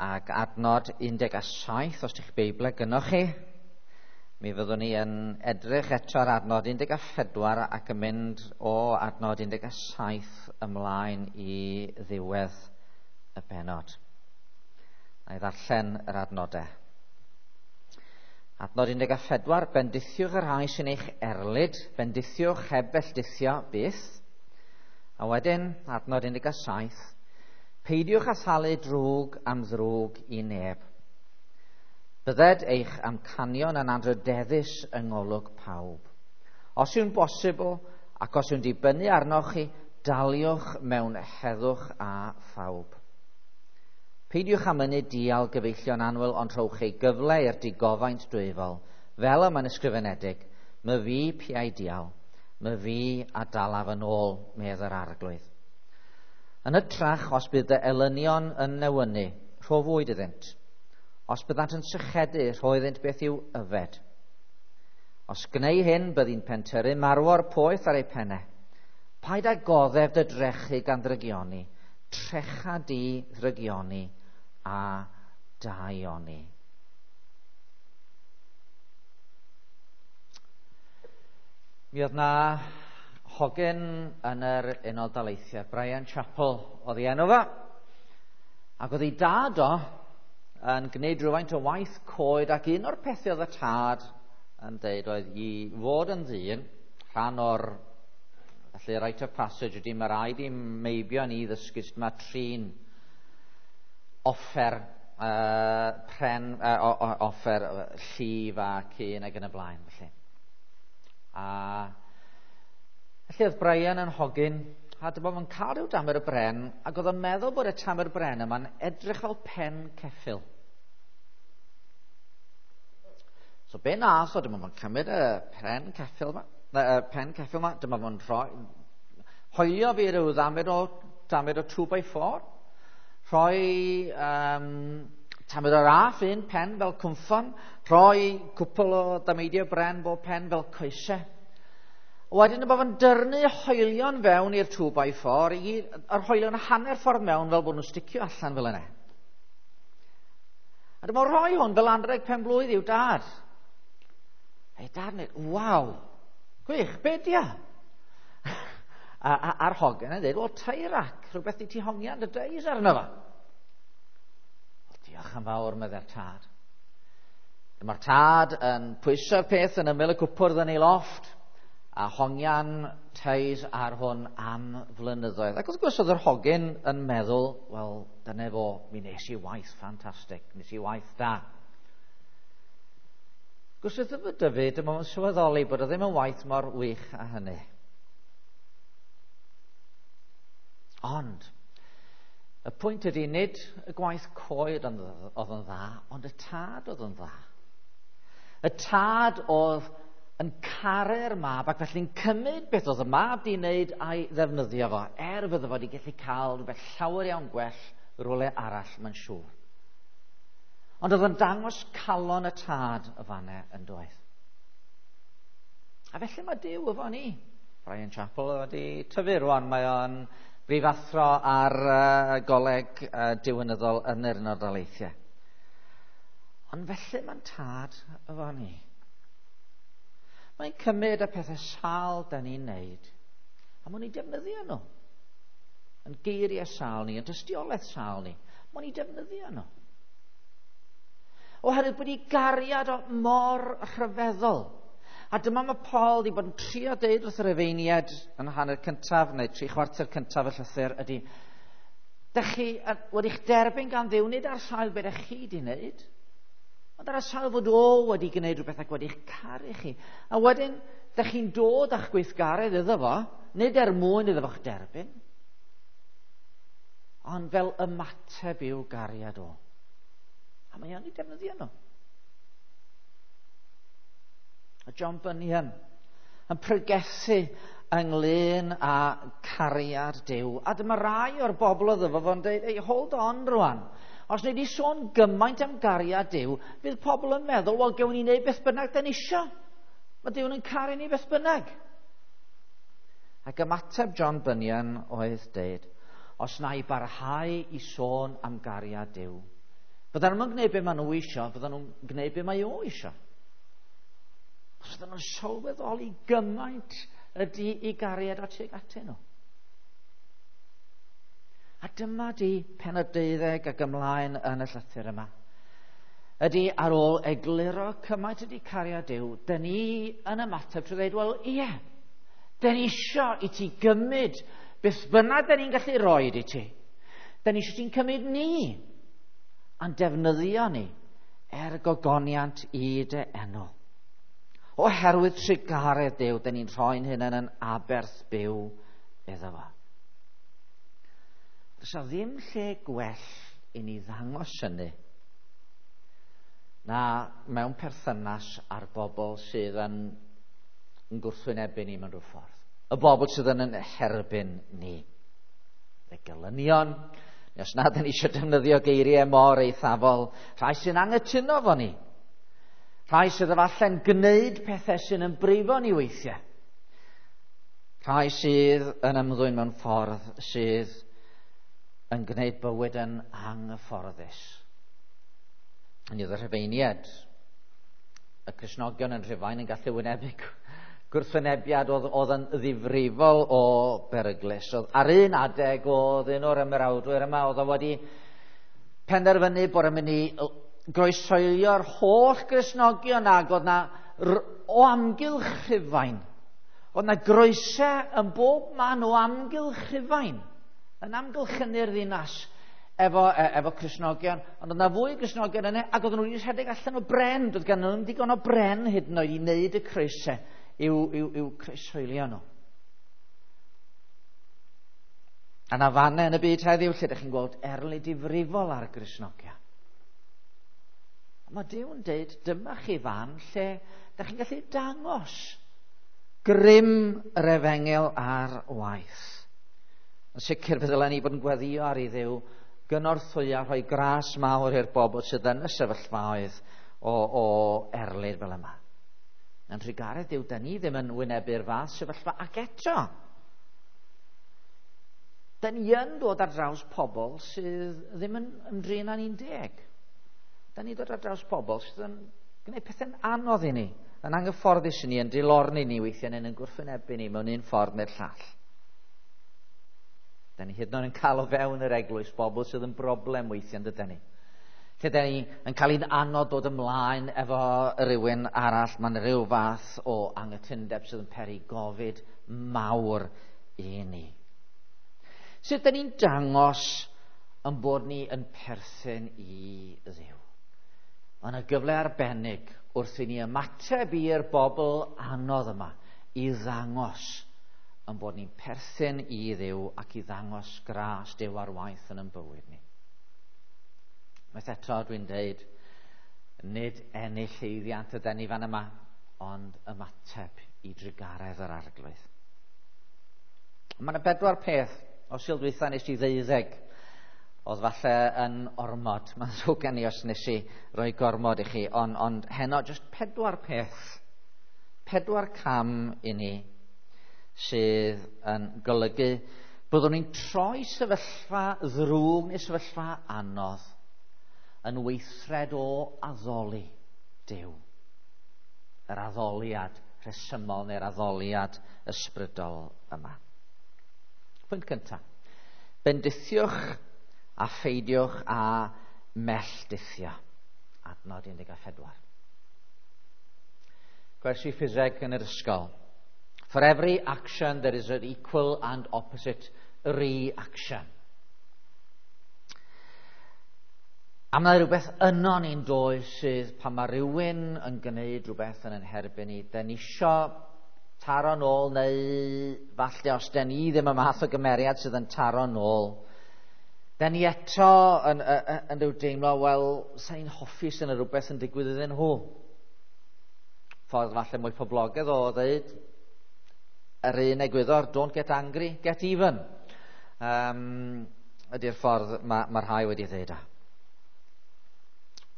Ac adnod 17, os ydych Beiblau gynnoch chi, mi fyddwn ni yn edrych eto ar adnod 14 ac yn mynd o adnod 17 ymlaen i ddiwedd y bennod. Na i ddarllen yr adnodau. Adnod 14, bendithiwch y rhai sy'n eich erlid, bendithiwch heb felldithio byth. A wedyn, adnod 17, peidiwch â thalu drwg am ddrwg i neb. Bydded eich amcanion yn anrhydeddus yng ngolwg pawb. Os yw'n bosibl ac os yw'n dibynnu arnoch chi, daliwch mewn heddwch a phawb. Peidiwch â mynnu dial gyfeillion annwyl, ond rhowch ei gyfle i'r digofaint dwyfol, fel y mae'n ysgrifenedig, my fi piau dial, my fi a dalaf yn ôl, medd yr arglwydd. Yn hytrach, os bydd dy elynion yn newynu, rho fwyd iddynt. Os byddant yn sychedu, rho iddynt beth i'w yfed. Os gneu hyn, byddi'n pentyrru marwor poeth ar eu pennau. Paid â goddef dy drechu gan ddrygioni, trecha di ddrygioni a daioni. Mi oedd na hogyn yn yr Unol Daleithiau, Brian Chappell oedd ei enw fo, ac oedd ei dad o yn gwneud rhywfaint o waith coed, ac un o'r pethau oedd y tad yn deud oedd i fod yn ddyn, rhan o'r felly rite of passage ydy mae rhaid i meibion i ddysgu sut mae trin offer pren, offer llif a cyn ac yn y blaen. Felly. A felly oedd Brian yn hogyn, a dyma fo'n cael rhyw damer y bren, ac oedd o'n meddwl bod y tamer bren yma'n edrych fel pen ceffyl. So be nath o, dyma fo'n cymryd y pen ceffyl yma, pen ceffyl yma, dyma fo'n rhoi, hoelio fi rhyw ddamer o 2x4, rhoi tamed o raff un pen fel cwmffon, rhoi cwpl o dameidiau bren bob pen fel coesau. Wedyn bod fo'n dyrnu hoelion fewn i'r 2x4, yr hoelion hanner ffordd mewn fel bod nhw'n sticio allan fel yna. A dyma rhoi hwn fel anrheg pen blwydd i'w dad. Ei dad yn dweud, waw, gwych, be di o? A'r hogyn yn dweud, wel, tie rack, rhywbeth di ti hongian dy deis arno fo. Wel, diolch yn fawr, meddai'r tad. Dyma'r tad yn pwyso'r peth yn ymyl y cwpwrdd yn ei lofft, a hongian teis ar hwn am flynyddoedd. Ac wrth gwrs oedd yr hogyn yn meddwl, wel, dyna fo, mi nes i waith ffantastig, nes i waith da. Gwrs wrth y dyfu, dyma fo'n sylweddoli bod o ddim yn waith mor wych â hynny. Ond, y pwynt ydy nid y gwaith coed oedd yn dda, ond y tad oedd yn dda. Y tad oedd yn caru'r mab ac felly'n cymryd beth oedd y mab di wneud a'i ddefnyddio fo, er fydde fo wedi gallu cael rhywbeth llawer iawn gwell rhywle arall, mae'n siŵr. Ond oedd yn dangos calon y tad y fanne yn doedd. A felly mae Duw efo ni. Brian Chappell wedi tyfu rwan, mae o'n brifathro ar goleg diwinyddol yn yr Unol Daleithiau. Ond felly mae'n tad efo ni. Mae'n cymryd y pethau sâl da ni'n neud, a mae'n ei defnyddio nhw. Yn geiriau sâl ni, yn tystiolaeth sâl ni, mae'n ei defnyddio nhw. Oherwydd bod ei gariad o mor rhyfeddol. A dyma mae Paul wedi bod yn trio deud wrth yr Rufeiniaid yn hanner cyntaf, neu 3/4 cyntaf y llythyr, ydy, dych chi wedi'ch derbyn gan Dduw, nid ar sail beth ych chi wedi wneud, ond ar y sail fod o wedi gwneud rhywbeth ac wedi'ch caru chi. A wedyn, dych chi'n dod â'ch gweithgaredd iddo fo, nid er mwyn iddo fo'ch derbyn, ond fel ymateb i'w gariad o. A mae o'n ei defnyddio nhw. A John Bunyan yn pregethu ynglyn â cariad Duw. A dyma rai o'r bobl oedd efo fo'n dweud, hey, hold on rwan. Os wnei di sôn gymaint am gariad Duw, fydd pobl yn meddwl, wel, gewn ni wneud beth bynnag da ni isio. Mae Duw yn caru ni beth bynnag. Ac ymateb John Bunyan oedd deud, os na i barhau i sôn am gariad Duw, Fyddan nhw'n gwneud be maen nhw isio, fyddan nhw'n gwneud be mae o isio. Os fyddan nhw'n sylweddoli gymaint ydy i gariad at tuag atyn nhw. A dyma di pennod 12 ac ymlaen yn y llythyr yma. Ydy ar ôl egluro cymaint ydy cariad Duw, dyn ni yn ymateb trwy ddweud, wel ie, dyn ni isio i ti gymryd beth bynnag dyn ni'n gallu rhoi i ti. Dyn ni isio ti'n cymryd ni a'n defnyddio ni er gogoniant i dy enw. Oherwydd trugaredd Duw, dyn ni'n rhoi'n hunain yn aberth byw iddo fo. Does 'na ddim lle gwell i ni ddangos hynny na mewn perthynas â'r bobl sydd yn gwrthwynebu ni mewn rhyw ffordd. Y bobl sydd yn herbyn ni. Y gelynion, neu os nad yn eisiau defnyddio geiriau mor eithafol, rhai sy'n anghytuno fo ni. Rhai sydd efallai'n gwneud pethau sy'n yn brifo ni weithiau. Rhai sydd yn ymddwyn mewn ffordd sydd yn gwneud bywyd yn anghyfforddus. Yn oedd y Rhufeiniaid, y Cristnogion yn Rhufain yn gallu wynebu gwrthwynebiad oedd yn ddifrifol o beryglus. Oedd, ar un adeg oedd un o'r ymerawdwyr yma, oedd o wedi penderfynu bod yn mynd i groesoelio'r holl Gristnogion ag oedd na o amgylch Rhufain. Oedd na groesau yn bob man o amgylch Rhufain, yn amgylchynu'r ddinas efo Cristnogion, ond oedd na fwy o Gristnogion yna, ac oedden nhw wedi rhedeg allan o bren, doedd gan nhw'n digon o bren hyd yn oed i wneud y croesau i'w croeshoelio nhw. A na fannau yn y byd heddiw lle ydych chi'n gweld erlid difrifol ar Gristnogion. Mae Duw yn deud, dyma chi fan lle ydych chi'n gallu dangos grym yr efengyl ar waith. Yn sicr fe ddylen ni fod yn gweddïo ar i Dduw gynorthwyo a rhoi gras mawr i'r bobl sydd yn y sefyllfaoedd o erlid fel yma. Yn trugaredd Duw, da ni ddim yn wynebu'r fath sefyllfa, ac eto da ni yn dod ar draws pobl sydd ddim yn ymdrin â ni'n deg. Da ni'n dod ar draws pobl sydd yn gwneud pethau'n anodd i ni, yn anghyfforddus i ni, yn dilorni ni weithiau, neu'n gwrthwynebu ni mewn un ffordd neu'r llall. Da ni hyd yn oed yn cael o fewn yr eglwys bobl sydd yn broblem weithiau, yn dydyn ni. Lle da ni yn cael ein anodd dod ymlaen efo rhywun arall, mae'n rhyw fath o anghytundeb sydd yn peri gofid mawr i ni. Sut da ni'n dangos yn bod ni yn perthyn i Dduw? Mae yna gyfle arbennig wrth i ni ymateb i'r bobl anodd yma i ddangos yn bod ni'n perthyn i Dduw ac i ddangos gras Duw ar waith yn ein bywyd ni. Unwaith eto dwi'n deud, nid ennill llwyddiant yden ni fan yma, ond ymateb i drugaredd yr Arglwydd. Mae yna 4 peth o Sul dwytha nes i 12 oedd falle yn ormod. Mae'n ddrwg gen i os nes i roi gormod i chi, ond heno jyst 4 peth, 4 cam i ni sydd yn golygu byddwn ni'n troi sefyllfa ddrwg neu sefyllfa anodd yn weithred o addoli Duw. Yr addoliad rhesymol neu'r addoliad ysbrydol yma. Pwynt cyntaf. Bendithiwch a pheidiwch â melldithio. Adnod 14. Gwersi ffiseg yn yr ysgol. For every action there is an equal and opposite reaction. A mae rhywbeth yno ni'n does sydd pan mae rhywun yn gwneud rhywbeth yn ein herbyn ni, den ni isio taro nôl, neu falle os den ni ddim y math o gymeriad sydd yn taro nôl, den ni eto yn rhyw deimlo, wel, sa'n hoffi sy'n rhywbeth yn digwydd iddyn nhw. Ffordd falle mwy poblogaidd o ddeud, yr un egwyddor, don't get angry, get even. Ydy'r ffordd mae rhai wedi ddeud a.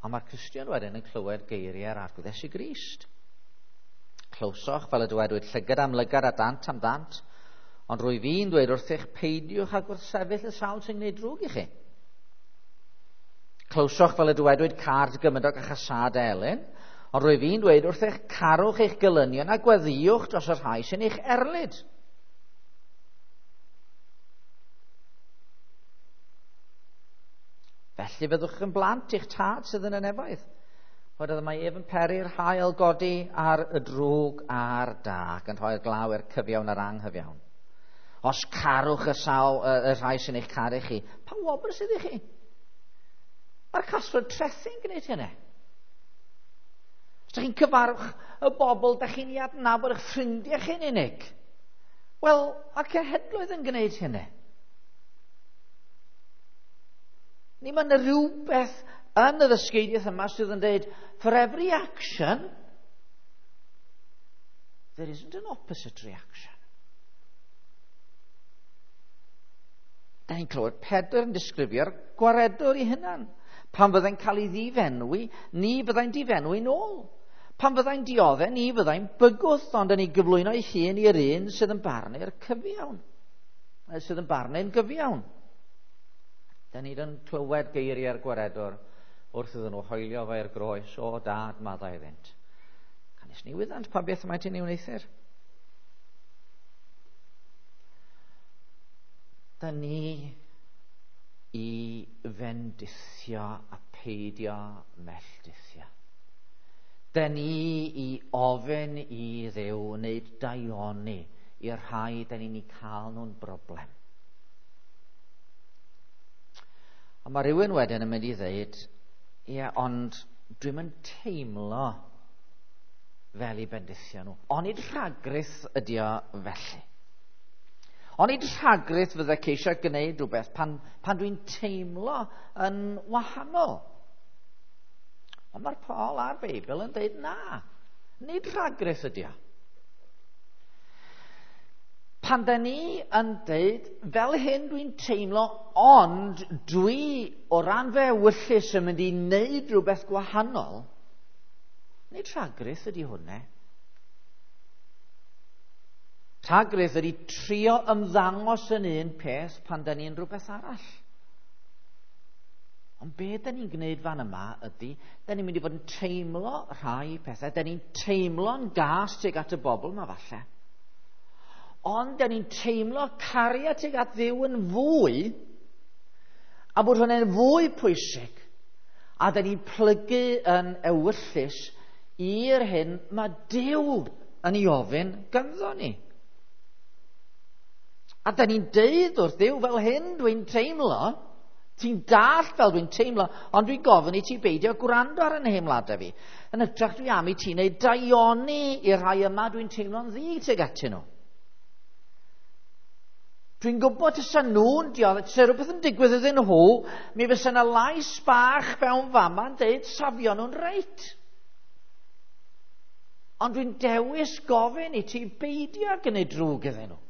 Ond mae'r Cristion wedyn yn clywed geiriau'r Arglwydd Iesu Grist. Clywsoch, fel y dywedwyd, llygad am lygad a dant am ddant, ond rwy fi'n dweud wrthych, peidiwch â gwrthsefyll y sawl sy'n gwneud drwg i chi. Clywsoch fel y dywedwyd car dy gymydog a chasâd elyn, ond rwyf fi'n dweud wrth eich carwch eich gelynion a gweddïwch dros y rhai sy'n eich erlid. Felly fyddwch yn blant i'ch tad sydd yn y nefoedd. Oherwydd mae ef yn peri'r haul godi ar y drwg a'r da, ac yn rhoi'r glaw i'r cyfiawn a'r anghyfiawn. Os carwch y, sawl, y rhai sy'n eich caru chi, pa wobr sydd i chi? Mae'r casglwr trethi'n gwneud hynny. Os ydych chi'n cyfarwch y bobl, da chi'n ei adnabod eich ffrindiau chi'n unig. Wel, mae'r cenhedloedd yn gwneud hynny. Ni mae yna rhywbeth yn y ddysgeidiaeth yma sydd yn dweud, for every action, there isn't an opposite reaction. Da ni'n clywed Pedr yn disgrifio'r gwaredwr i hunan. Pan fyddai'n cael ei ddifenwi, ni fyddai'n difenwi nôl. Pan fyddai'n dioddef, ni fyddai'n bygwth, ond yn ei gyflwyno ei hun i'r un sydd yn barnu'r cyfiawn. Sydd yn barnu'n gyfiawn. Da ni'n clywed geiriau'r gwaredwr wrth iddyn nhw hoelio fe i'r groes, o dad, maddau iddynt. Canys ni wyddant pa beth maent yn ei wneuthur. Da ni i fendithio a peidio melldithio. Da ni i ofyn i Dduw wneud daioni i'r rhai da ni'n ei cael nhw'n broblem. A mae rhywun wedyn yn mynd i ddeud, ie, ond dwi'm yn teimlo fel i bendithio nhw. Onid rhagrith ydi o felly? Onid rhagrith fydde ceisio gwneud rhywbeth pan, pan dwi'n teimlo yn wahanol? Ond mae'r Paul a'r Beibl yn dweud na. Nid rhagrith ydi o. Pan da ni yn deud, fel hyn dwi'n teimlo, ond dwi o ran fe ewyllys yn mynd i wneud rhywbeth gwahanol, nid rhagrith ydy hwnna. Rhagrith ydy trio ymddangos yn un peth pan da ni'n rhywbeth arall. Ond be da ni'n gwneud fan yma ydy, da ni'n mynd i fod yn teimlo rhai pethau, da ni'n teimlo'n gas tuag at y bobl yma falle. Ond da ni'n teimlo cariad tuag at Dduw yn fwy, a bod hwnna'n fwy pwysig, a da ni'n plygu yn ewyllys i'r hyn mae Duw yn ei ofyn ganddo ni. A da ni'n deud wrth Dduw fel hyn dwi'n teimlo, ti'n dallt fel dwi'n teimlo, ond dwi'n gofyn i ti beidio gwrando ar y nheimladau fi. Yn hytrach dwi am i ti wneud daioni i'r rhai yma dwi'n teimlo'n ddig tuag atyn nhw. Dwi'n gwybod tysa nhw'n dioddef, tysa rhywbeth yn digwydd iddyn nhw, mi fysa yna lais bach fewn fama yn deud safio nhw'n reit. Ond dwi'n dewis gofyn i ti beidio gwneud drwg iddyn nhw.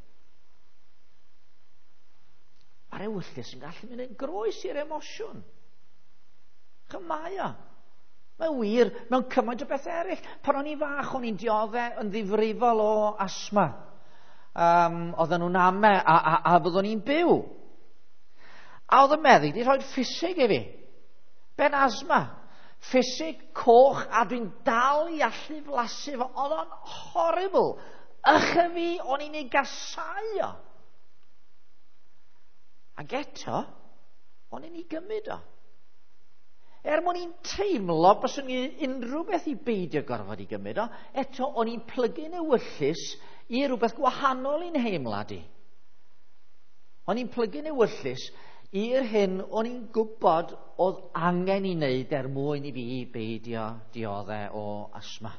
Mae'r ewyllys yn gallu mynd yn groes i'r emosiwn. Chymau o. Mae'n wir mewn cymaint o bethau eraill. Pan o'n i'n fach, o'n i'n dioddef yn ddifrifol o asma. Oedden nhw'n ame a, a, a fyddwn i'n byw. A oedd y meddyg wedi rhoi ffisig i fi. Ben asma. Ffisig coch a dwi'n dal i allu flasu fo. Oedd o'n horrible. Ychy fi, o'n i'n ei gasau o. Ac eto, o'n i'n ei gymryd o. Er mwyn i'n teimlo byswn i unrhyw beth i beidio gorfod i gymryd o, eto o'n i'n plygu'n ewyllys i rhywbeth gwahanol i'n heimlad i. O'n i'n plygu'n ewyllys i'r hyn o'n i'n gwybod oedd angen i wneud er mwyn i fi beidio dioddef o asma.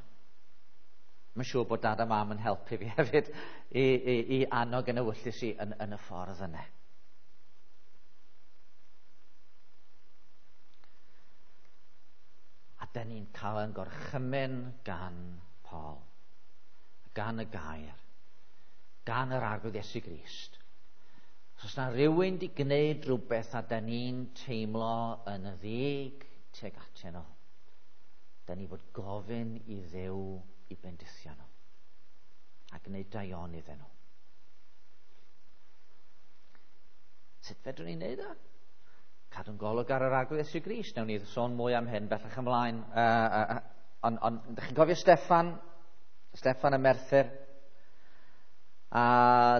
Mae'n siŵr bod dad a mam yn helpu fi hefyd i, i, i annog yn ewyllys i yn, yn y ffordd yna. A da ni'n cael yn gorchymyn gan Paul, gan y gair, gan yr Arglwydd Iesu Grist. Os oes na rhywun di gwneud rhywbeth a da ni'n teimlo yn y ddig tuag atyn nhw, da ni fod gofyn i Dduw i bendithio nhw a gwneud daion iddyn nhw. Sut fedrwn ni wneud o? Cadw'n golwg ar yr Arglwydd Iesu Grist. Newn ni sôn mwy am hyn bellach ymlaen. Ond ydych chi'n cofio Steffan? Steffan y Merthyr. A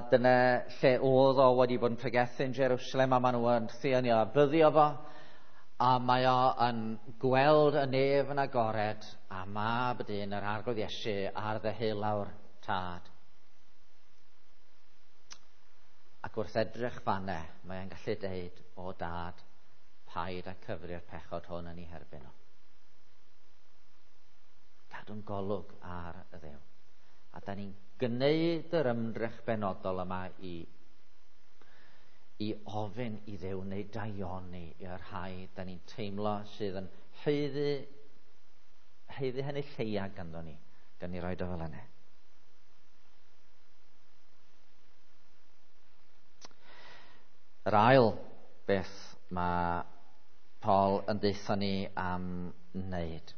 dyna lle oedd o wedi bod yn pregethu yn Jerusalem, a maen nhw yn wrthi a byddio fo. A mae o yn gweld y nef yn agored, a mab dyn yr Arglwydd Iesu ar ddeheulawr Tad. Ac wrth edrych fanne, mae e'n gallu deud, o Dad, paid a cyfri'r pechod hwn yn ei herbyn o. Cadw'n golwg ar y Dduw. A da ni'n gwneud yr ymdrech benodol yma i ofyn i Dduw neu daioni i'r rhai da ni'n teimlo sydd yn haeddu hynny lleia ganddo ni, gan ni roed o fel yna. Yr ail beth mae Paul yn deutha ni am wneud.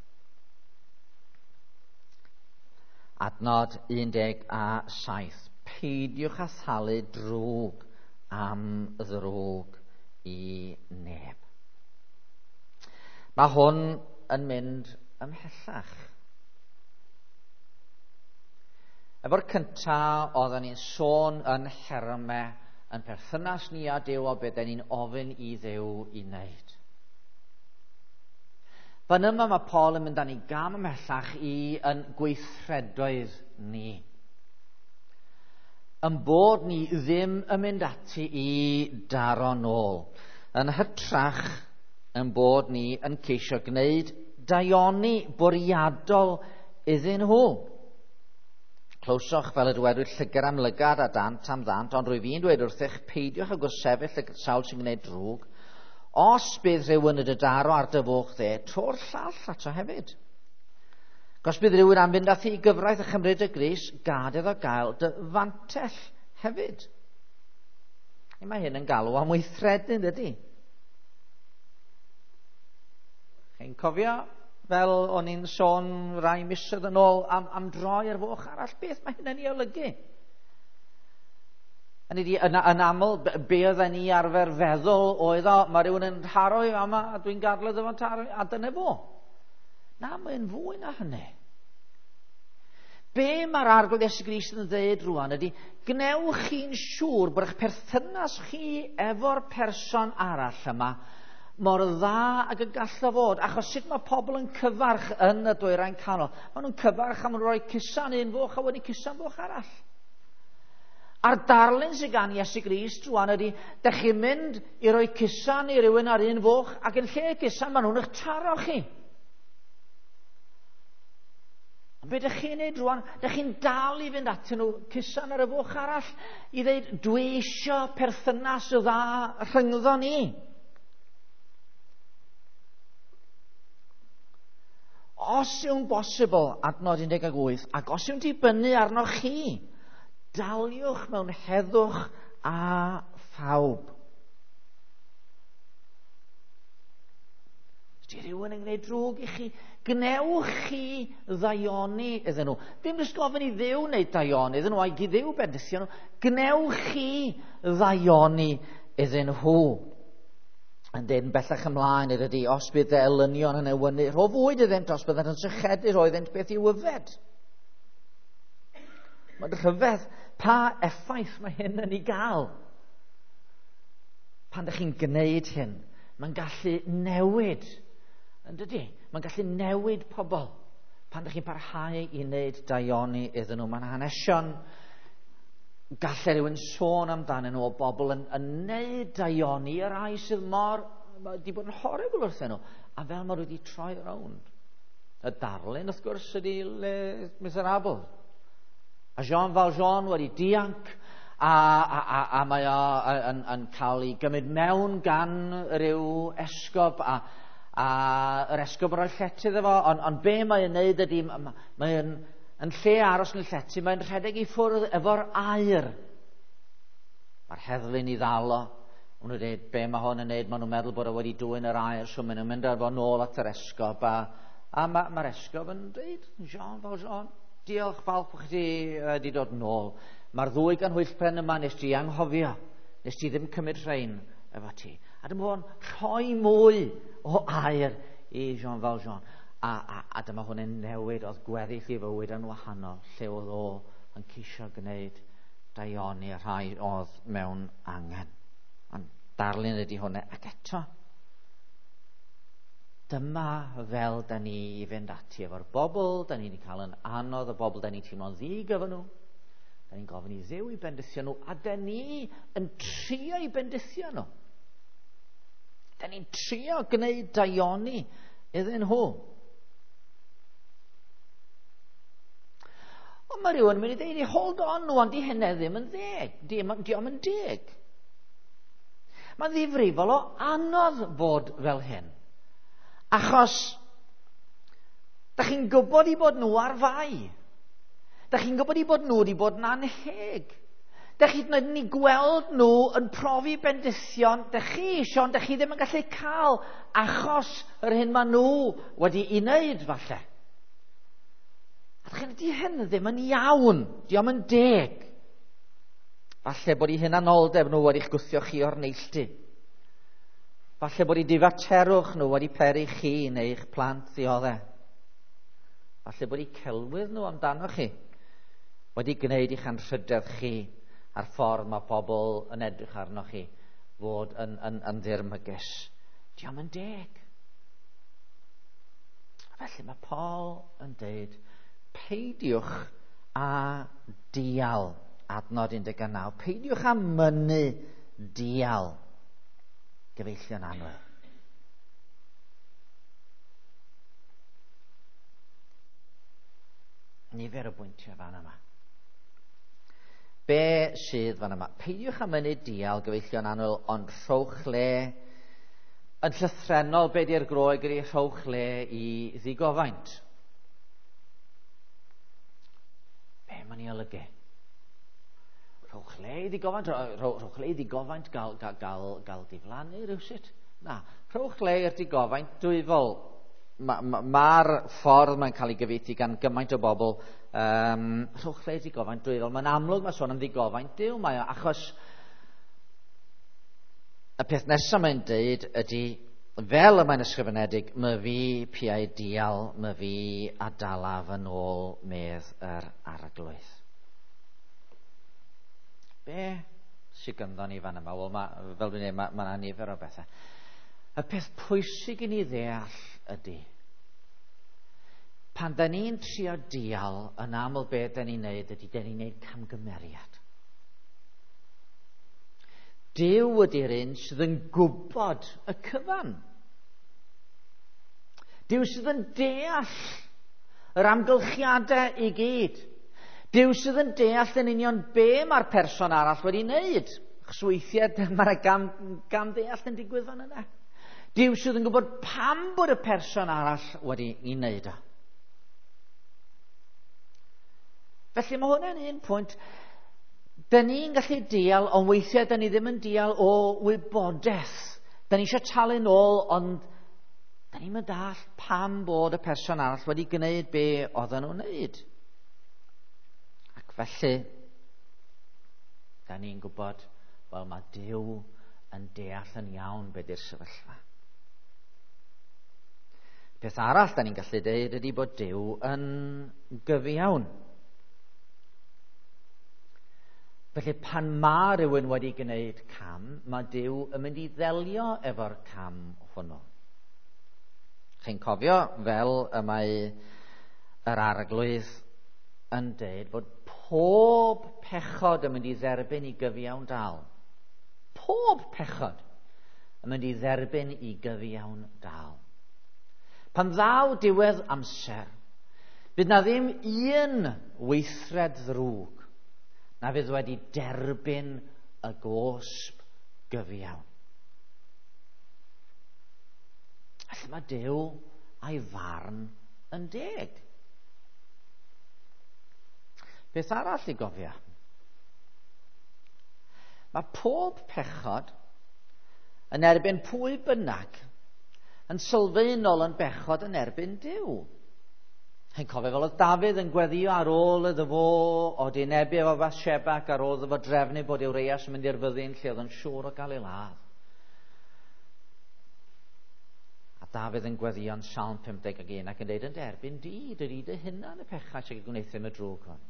Adnod 17. Peidiwch â thalu drwg am ddrwg i neb. Mae hwn yn mynd ymhellach. Efo'r cyntaf, oedden ni'n sôn yn nhermau yn perthynas ni â Duw o beth ni'n ofyn i Dduw i wneud. Fan yma mae Paul yn mynd â ni gam ymhellach i yn gweithredoedd ni. Yn bod ni ddim yn mynd ati i daro nôl. Yn hytrach yn bod ni yn ceisio gwneud daioni bwriadol iddyn nhw. Clywsoch fel y dywedwyd llygad am lygad a dant am ddant, ond rwyf i'n dweud wrthych, peidiwch ag gwrthsefyll y sawl sy'n gwneud drwg. Os bydd rhywun yn dy daro ar dy foch dde, tro'r llall ato hefyd. Os bydd rhywun am fynd â thi i gyfraith a chymryd y grys, gad iddo gael dy fantell hefyd. Mae hyn yn galw am weithredu, dydy? Chi'n cofio fel o'n i'n sôn rai misoedd yn ôl am droi ar foch arall, beth mae hynny'n ei olygu? Yn aml, be oedden ni arfer feddwl oedd o, mae rhywun yn taro i fama a dwi'n gadw iddo fo'n taro, a dyna fo. Na, mae'n fwy na hynny. Be mae'r Arglwydd Iesu Grist yn dweud rwan ydy, gwnewch chi'n siŵr bod eich perthynas chi efo'r person arall yma mor dda ag y gallo fod, achos sut mae pobl yn cyfarch yn y dwyrain canol? Maen nhw'n cyfarch a maen nhw'n rhoi cusan un foch a wedyn cusan foch arall. A'r darlun sydd gan Iesu Grist rwan ydy, dych chi'n mynd i roi cusan i rywun ar un foch, ac yn lle cusan maen nhw'n eich taro chi. Ond be dych chi'n neud rwan? Dych chi'n dal i fynd atyn nhw cusan ar y foch arall i ddeud, dwi isio perthynas y dda rhyngddo ni. Os yw'n bosibl, adnod 18, ac os yw'n dibynnu arnoch chi, daliwch mewn heddwch a phawb. Ydy rhywun yn gwneud drwg i chi? Gwnewch chi ddaioni iddyn nhw. Dim jyst gofyn i Dduw wneud daioni iddyn nhw, a'i Dduw bendithio nhw. Gwnewch chi ddaioni iddyn nhw. Yn dweud yn bellach ymlaen ydy, os bydd dy elynion yn newynu, rho fwyd iddynt, os byddant yn sychedu, rho iddynt beth i'w yfed. Mae'n rhyfedd pa effaith mae hyn yn ei gael. Pan ydych chi'n gwneud hyn, mae'n gallu newid, yn dydy? Mae'n gallu newid pobl. Pan ydych chi'n parhau i wneud daioni iddyn nhw, mae'n hanesion gallai rhywun sôn amdanyn nhw o bobl yn wneud daioni i'r rhai sydd mor wedi bod yn horrible wrthyn nhw, a fel maen nhw wedi troi rownd. Y darlun, wrth gwrs, ydy Les Miserables. A Jean Valjean wedi dianc, a mae o yn cael ei gymryd mewn gan ryw esgob, a yr esgob yn rhoi llety iddo fo, ond be mae'n wneud ydy, mae'n yn lle aros yn y llety, mae'n rhedeg i ffwrdd efo'r aer. Mae'r heddlu'n ei ddal o. Maen nhw'n dweud, be mae hwn yn wneud? Maen nhw'n meddwl bod o wedi dwyn yr aer, so maen nhw'n mynd â fo nôl at yr esgob. A mae'r esgob yn dweud, Jean Valjean, diolch, falch bod chi wedi dod nôl. Mae'r ddwy ganhwyllpren yma nes ti anghofio, nes ti ddim cymryd rhain efo ti. A dyma fo'n rhoi mwy o air i Jean Valjean. A dyma hwn yn newid, oedd gweddill i fywyd yn wahanol, lle oedd o yn ceisio gwneud daioni y rhai oedd mewn angen. Ond darlun ydy hwnna, ac eto, dyma fel da ni i fynd ati efo'r bobl, da ni wedi cael yn anodd, y bobl da ni'n teimlo'n ddig efo nhw. Da ni'n gofyn i Dduw i bendithio nhw, a da ni yn trio i bendithio nhw. Da ni'n trio gwneud daioni iddyn nhw. Ond mae rhywun yn mynd i ddeud, hold on, nhw, ond di hynny ddim yn ddeg. Dio'm yn deg. Mae'n ddifrifol o anodd fod fel hyn. Achos, da chi'n gwybod i bod nhw ar fai. Da chi'n gwybod i bod nhw wedi bod yn anheg. Da chi'n ni gweld nhw yn profi bendithion, da chi eisiau, ond da chi ddim yn gallu cael achos yr hyn maen nhw wedi ei wneud, falle. A da chi'n di hyn ddim yn iawn, dio'm yn deg. Falle bod eu hunanoldeb nhw wedi'ch gwthio chi o'r neilltu. Falle bod eu difaterwch nhw wedi peri chi neu'ch plant ddioddef. Falle bod eu celwydd nhw amdano chi wedi gwneud i'ch anrhydedd chi a'r ffordd mae pobl yn edrych arno chi fod yn ddirmygus. Dio'm yn deg. Felly mae Paul yn deud, peidiwch â dial, adnod 19, peidiwch â mynnu dial, gyfeillion annwyl. Nifer o bwyntiau fan yma. Be sydd fan yma? Peidiwch â mynnu dial, gyfeillion annwyl, ond rhowch le, yn llythrennol be di'r Groeg ydi rhowch le i ddigofaint. Be mae'n ei olygu? Rhowch le i ddigofaint, rhowch le i ddigofaint gael diflannu rhywsut? Na, rhowch le i'r digofaint dwyfol. Mae'r ffordd mae'n cael ei gyfieithu gan gymaint o bobl, rhowch le i ddigofaint dwyfol. Mae'n amlwg mae sôn am ddigofaint Duw, mae o, achos y peth nesaf mae'n deud ydy, fel y mae'n ysgrifenedig, my fi piau dial, my fi a dalaf yn ôl medd yr arglwydd. Be sydd ganddo ni fan yma? Wel, fel dwi'n dweud, mae yna nifer o bethau. Y peth pwysig i ni ddeall ydy, pan da ni'n trio dial, yn aml be da ni'n neud ydy, da ni'n neud camgymeriad. Duw ydy'r un sydd yn gwybod y cyfan. Duw sydd yn deall yr amgylchiadau i gyd. Duw sydd yn deall yn union be mae'r person arall wedi wneud. Achos weithiau mae'r gamddeall yn digwydd fan yna. Duw sydd yn gwybod pam bod y person arall wedi ei wneud o. Felly mae hwnna'n un pwynt. Da ni'n gallu deall, ond weithiau da ni ddim yn deall o wybodaeth. Da ni eisiau talu nôl, ond da ni'n mynd deall pam bod y person arall wedi gwneud be oedden nhw'n wneud. Ac felly, da ni'n gwybod, wel, mae Duw yn deall yn iawn be di'r sefyllfa. Peth arall da ni'n gallu deud ydy bod Duw yn gyfiawn. Felly pan mae rhywun wedi gwneud cam, mae Duw yn mynd i ddelio efo'r cam hwnnw. Chi'n cofio fel y mae yr arglwydd yn deud bod pob pechod yn mynd i dderbyn i gyfiawn dal. Pob pechod yn mynd i dderbyn i gyfiawn dal. Pan ddaw diwedd amser, fydd na ddim un weithred ddrwg na fydd wedi derbyn y gosb gyfiawn. Felly mae Duw a'i farn yn deg. Beth arall i gofio? Mae pob pechod yn erbyn pwy bynnag yn sylfaenol yn bechod yn erbyn Duw. Chi'n cofio fel oedd Dafydd yn gweddio ar ôl iddo fo o dinebu efo Bathsheba ac ar ôl iddo fo drefnu bod Urias yn mynd i'r fyddin lle oedd yn siŵr o gael ei ladd. A Dafydd yn gweddïo'n Salm 51 ac yn dweud yn derbyn di, dydy dy hunan y pechau sy'n gwneud y drwg hwn.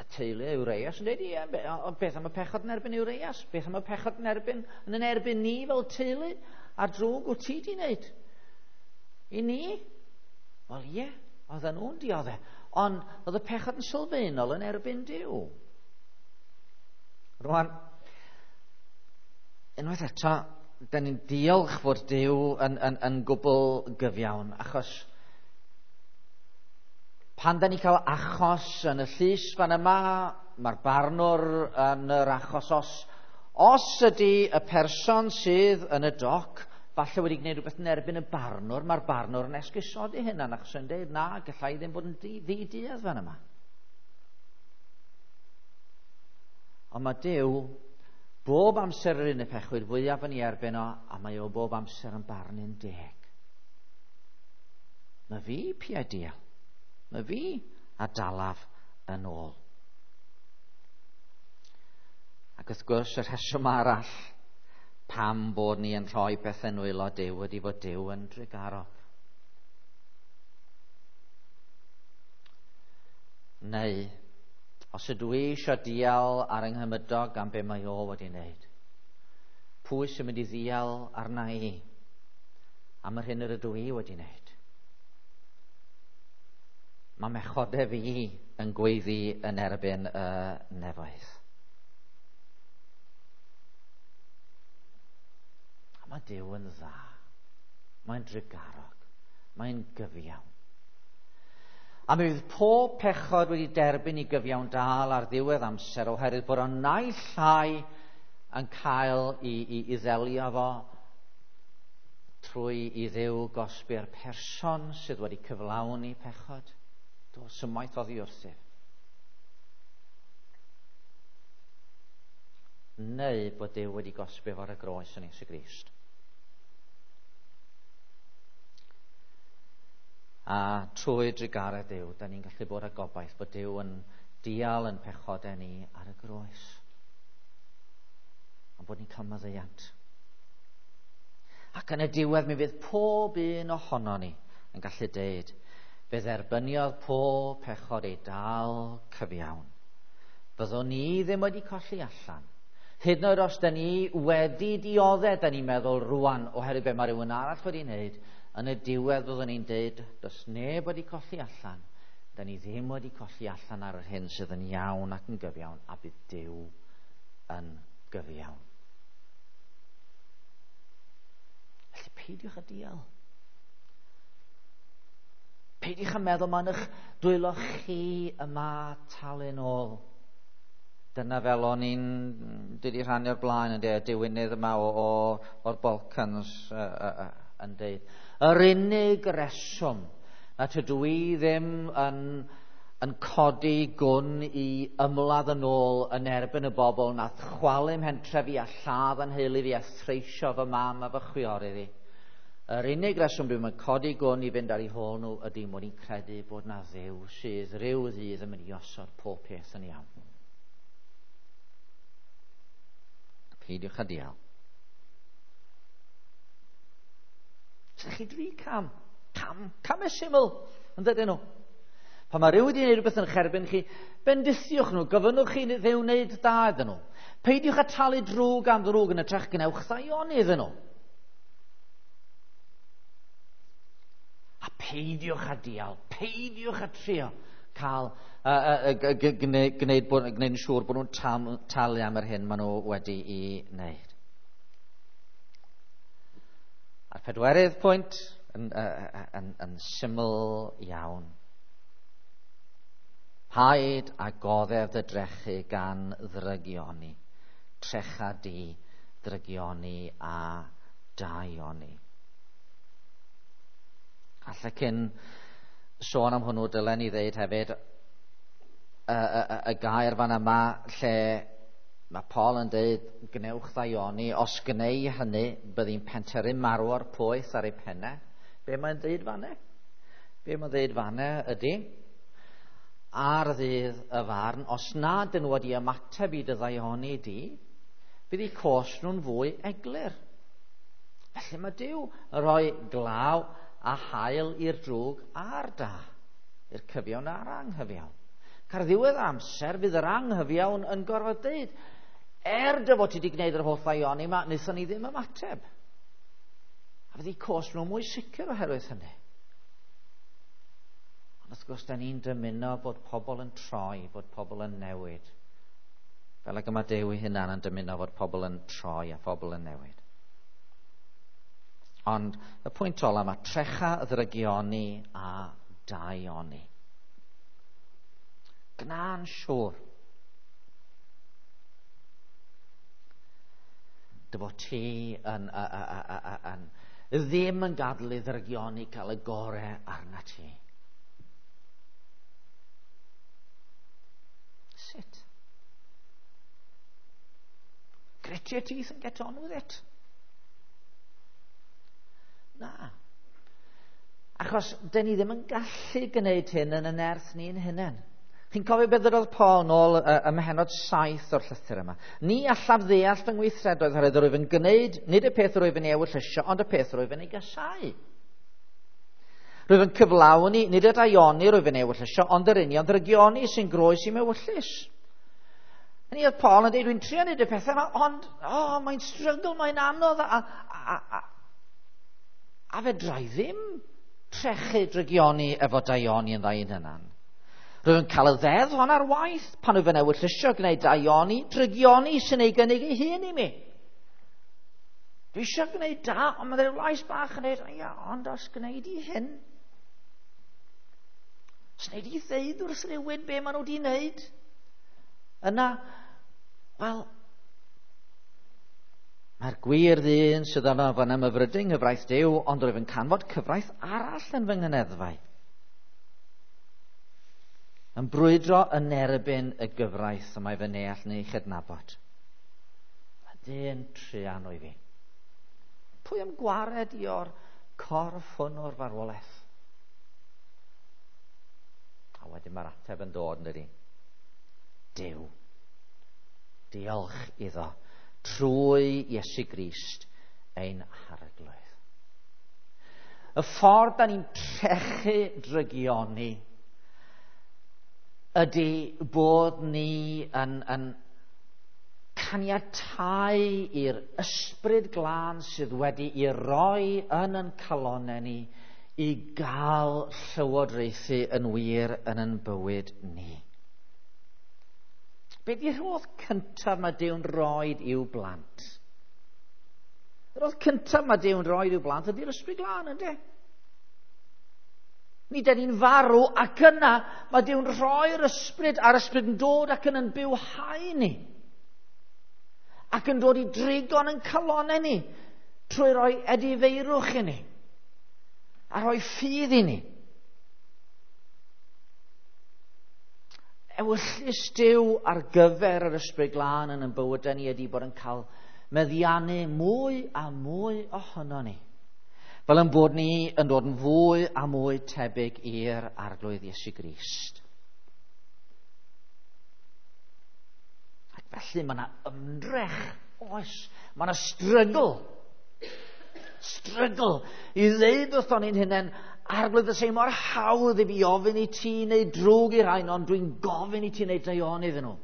A teulu Urias yn dweud, ie, ond beth am y pechod yn erbyn Urias? Beth am y pechod yn erbyn, yn erbyn ni fel teulu? A'r drwg wyt ti di wneud? I ni? Wel ie, oedden nhw'n dioddef. Ond oedd y pechod yn sylfaenol yn erbyn Duw. Rwan, unwaith eto, da ni'n diolch fod Duw yn gwbl gyfiawn, achos pan da ni'n cael achos yn y llys fan yma, mae'r barnwr yn yr achos os ydy y person sydd yn y doc falle wedi gwneud rhywbeth yn erbyn y barnwr, mae'r barnwr yn esgusodi hynna, achos yn dweud, na, gallai ddim bod yn ddi-duedd fan yma. Ond mae Duw bob amser yr un y pechwyr fwyaf yn ei erbyn o, a mae o bob amser yn barnu'n deg. Mae fi piau dial. Mae fi a dalaf yn ôl. Ac wrth gwrs, y rheswm arall pam bod ni yn rhoi pethau nwylo Duw ydy fod Duw yn drugarog. Neu, os ydw i eisiau dial ar yng nghymydog am be mae o wedi wneud, pwy sy'n mynd i ddial arna i am yr hyn yr ydw i wedi wneud? Mae mechodau fi yn gweiddi yn erbyn y nefoedd. A mae Duw yn dda. Mae'n drugarog. Mae'n gyfiawn. A mi fydd pob pechod wedi derbyn i gyfiawn dal ar ddiwedd amser oherwydd bod o'n naill ai yn cael i ddelio fo trwy i Dduw gosbi'r person sydd wedi cyflawni pechod. Do, symaith oddi wrthyf. Neu bod Duw wedi gosbi fo ar y groes yn Iesu Grist. A trwy drugaredd Duw, da ni'n gallu bod â gobaith bod Duw yn dial yn pechodau ni ar y groes. A bod ni'n cael maddeuant. Ac yn y diwedd mi fydd pob un ohono ni yn gallu deud, fe dderbyniodd pob pechod ei dal cyfiawn. Fyddwn ni ddim wedi colli allan. Hyd yn oed os da ni wedi dioddef, da ni'n meddwl rwan, oherwydd be mae rhywun arall wedi wneud, yn y diwedd fyddwn ni'n deud, does neb wedi colli allan. Da ni ddim wedi colli allan ar yr hyn sydd yn iawn ac yn gyfiawn, a bydd Duw yn gyfiawn. Felly peidiwch â dial. Peidiwch â meddwl mae'n eich dwylo chi yma talu'n ôl. Dyna fel o'n i'n dwi wedi rhannu o'r blaen yn dweud, diwynydd yma o'r Balkans yn dweud. Yr unig reswm na tydw i ddim yn codi gwn i ymladd yn ôl yn erbyn y bobl nath chwalu mhentref fi a lladd yn nheulu fi a threisio fy mam a fy chwiorydd i. Yr unig reswm dwi'n mynd codi gwn i fynd ar eu hôl nhw ydy mod i'n credu bod na Dduw sydd rhyw ddydd yn mynd i osod pob peth yn iawn. Peidiwch â dial. Sa'ch chi dri cam. Cam e syml, yn dydyn nhw. Pan mae rhywun wedi gwneud rhywbeth yn eich erbyn chi, bendithiwch nhw, gofynnwch chi Dduw wneud da iddyn nhw. Peidiwch â talu drwg am ddrwg yn hytrach gwnewch ddaioni iddyn nhw. A peidiwch â dial, peidiwch â trio cael gwneud yn siŵr bod nhw'n talu am yr hyn maen nhw wedi'i wneud. A'r pedwerydd pwynt yn syml iawn. Paid a goddef dy drechu gan ddrygioni. Trecha di ddrygioni a daioni. Alla cyn sôn am hwnnw, dylen ni ddeud hefyd y gair fan yma lle mae Paul yn deud gwnewch ddaioni, os gneu hynny byddi'n pentyrru marw o'r poeth ar ei pennau. Be mae'n deud fanne? Be mae'n deud fanne ydy, ar ddydd y farn, os nad ydyn nhw wedi ymateb i dy ddaioni di, bydd eu cost nhw'n fwy eglur. Felly mae Duw yn rhoi glaw a haul i'r drwg a'r da, i'r cyfiawn a'r anghyfiawn. Car ddiwedd amser fydd yr anghyfiawn yn gorfod deud, dy fod ti wedi gwneud yr holl ddaioni yma, wnaethon ni ddim ymateb. A fydd eu cosb nhw mwy sicr oherwydd hynny. Ond wrth gwrs, da ni'n dymuno bod pobl yn troi, bod pobl yn newid. Fel ag y mae Duw ei hunan yn dymuno fod pobl yn troi a phobl yn newid. Ond y pwynt ola mae trecha ddrygioni a daioni. Gna'n siŵr dy fod ti yn, yn, ddim yn gadael i ddrygioni cael y gorau arna ti. Sut? Grit your teeth and get on with it. Na. Achos, dyn ni ddim yn gallu gwneud hyn yn y nerth ni'n hunain. Chi'n cofio beth ddydodd Paul nôl ym mhennod 7 o'r llythyr yma? Ni allaf ddeall fy ngweithredoedd oherwydd rwyf yn gwneud nid y peth rwyf yn ei ewyllysio, ond y peth rwyf yn ei gasáu. Rwyf yn cyflawni nid y daioni rwyf yn ei ewyllysio, ond yr union ddrygioni sy'n groes i'm ewyllys. Hynny oedd Paul yn dweud, dwi'n trio wneud y pethau yma, ond oh, mae'n struggle, mae'n anodd, a fedra i ddim trechu drygioni efo daioni yn ddau hunan. Rwyf yn cael y ddeddf hon ar waith pan wyf yn ewyllysio gwneud daioni, drygioni sy'n ei gynnig ei hun i mi. Dwi eisiau gwneud da, ond mae rhyw lais bach yn dweud, ia, ond os gwneud i hyn, os wneud i ddeud wrth rhywun be maen nhw wedi wneud, yna, wel, mae'r gwir ddyn sydd yna fan ymhyfrydu yng nghyfraith Duw, ond rwyf yn canfod cyfraith arall yn fy nghyneddfau. Yn brwydro yn erbyn y gyfraith y mae fy neall neu chydnabod. A dyn truan o'i fi. Pwy am gwared i o'r corff hwn o'r farwolaeth? A wedyn mae'r ateb yn dod, yn dydi? Duw. Diolch iddo trwy Iesu Grist ein harglwydd. Y ffordd da ni'n trechu drygioni ydy bod ni yn caniatáu i'r ysbryd glân sydd wedi ei roi yn ein calonnau ni i gael llywodraethu yn wir yn ein bywyd ni. Be di'r rhodd cyntaf mae Duw'n roed i'w blant? Y rhodd cyntaf mae Duw'n roed i'w blant ydy'r ysbryd glân, yndê? Ni dyn ni'n farw ac yna mae Duw'n rhoi'r ysbryd a'r ysbryd yn dod ac yn bywhau ni. Ac yn dod i drigo'n yn calonnau ni trwy roi edifeirwch i ni a rhoi ffydd i ni. Ewyllys Duw ar gyfer yr ysbryd glân yn ein bywydau ni ydy bod yn cael meddiannu mwy a mwy ohono ni. Fel yn bod ni yn dod yn fwy a mwy tebyg i'r Arglwydd Iesu Grist. Ac felly mae yna ymdrech, oes, mae yna strygl. Strygl i ddeud wrthon ni'n hunain, Arglwydd, y mor hawdd i fi ofyn i ti neu drwg i rhain, ond dwi'n gofyn i ti wneud daioni iddyn nhw.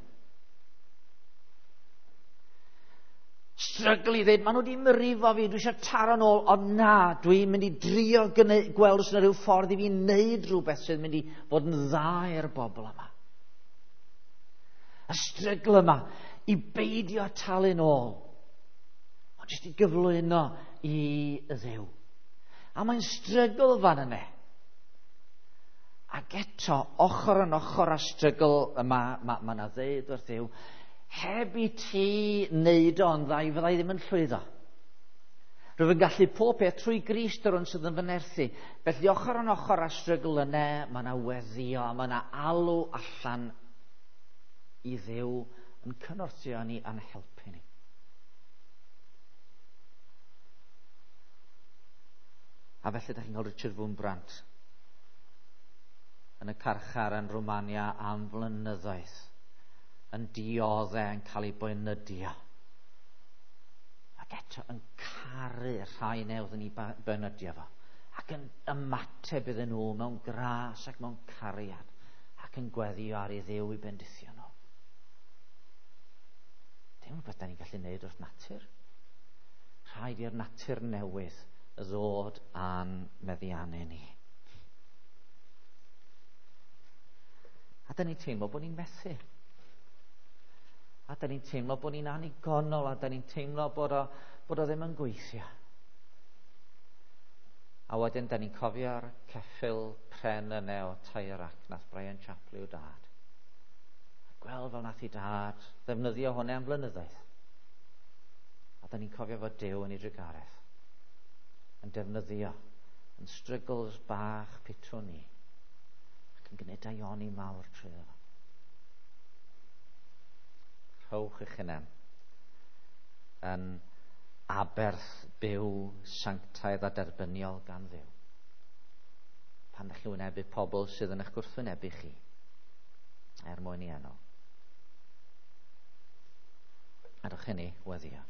Strygl i ddweud, maen nhw wedi myrifo fi, dwi eisiau taro nôl, ond na, dwi'n mynd i drio gweld os yna rhyw ffordd i fi wneud rhywbeth sydd mynd i fod yn dda i'r bobl yma. Y strygl yma i beidio talu nôl, ond jyst i gyflwyno i Dduw. A mae'n strygl fan yna. Ac eto, ochr yn ochr â strygl yma, mae yna ddeud wrth Dduw, heb i ti wneud o'n dda, i fyddai ddim yn llwyddo. Rwyf yn gallu pob peth trwy Grist yr hwn sydd yn fy nerthu. Felly ochr yn ochr â strygl yna, mae yna weddio, mae yna alw allan i Dduw yn cynorthwyo ni a'n helpu ni. A felly ydych chi'n cael Richard Wurmbrand yn y carchar yn Rwmania am flynyddoedd, yn dioddau, yn cael ei boenydio. Ac eto yn caru rhai newydd yn ei benydio fo. Ac yn ymateb iddyn nhw mewn gras ac mewn cariad. Ac yn gweddio ar ei Dduw i bendithio nhw. Dim rhywbeth da ni'n gallu neud wrth natur. Rhaid i'r natur newydd ddod a'n meddiannu ni. A da ni'n teimlo bod ni'n methu. A da ni'n teimlo bod ni'n anigonol, a da ni'n teimlo bod o ddim yn gweithio. A wedyn da ni'n cofio'r ceffyl pren yna o Tairac nath Brian Chapley o dad. A gweld fel nath i dad ddefnyddio hwnna am flynyddoedd. A da ni'n cofio fod Duw yn ei drugaredd yn defnyddio yn struggles bach pitw ni ac yn gwneud daioni mawr trwy fo. Rhowch eich hunain yn aberth byw sanctaidd a derbyniol gan Dduw. Pan ydych chi wynebu pobl sydd yn eich gwrthwynebu chi, er mwyn i enw. Adwch i ni weddio.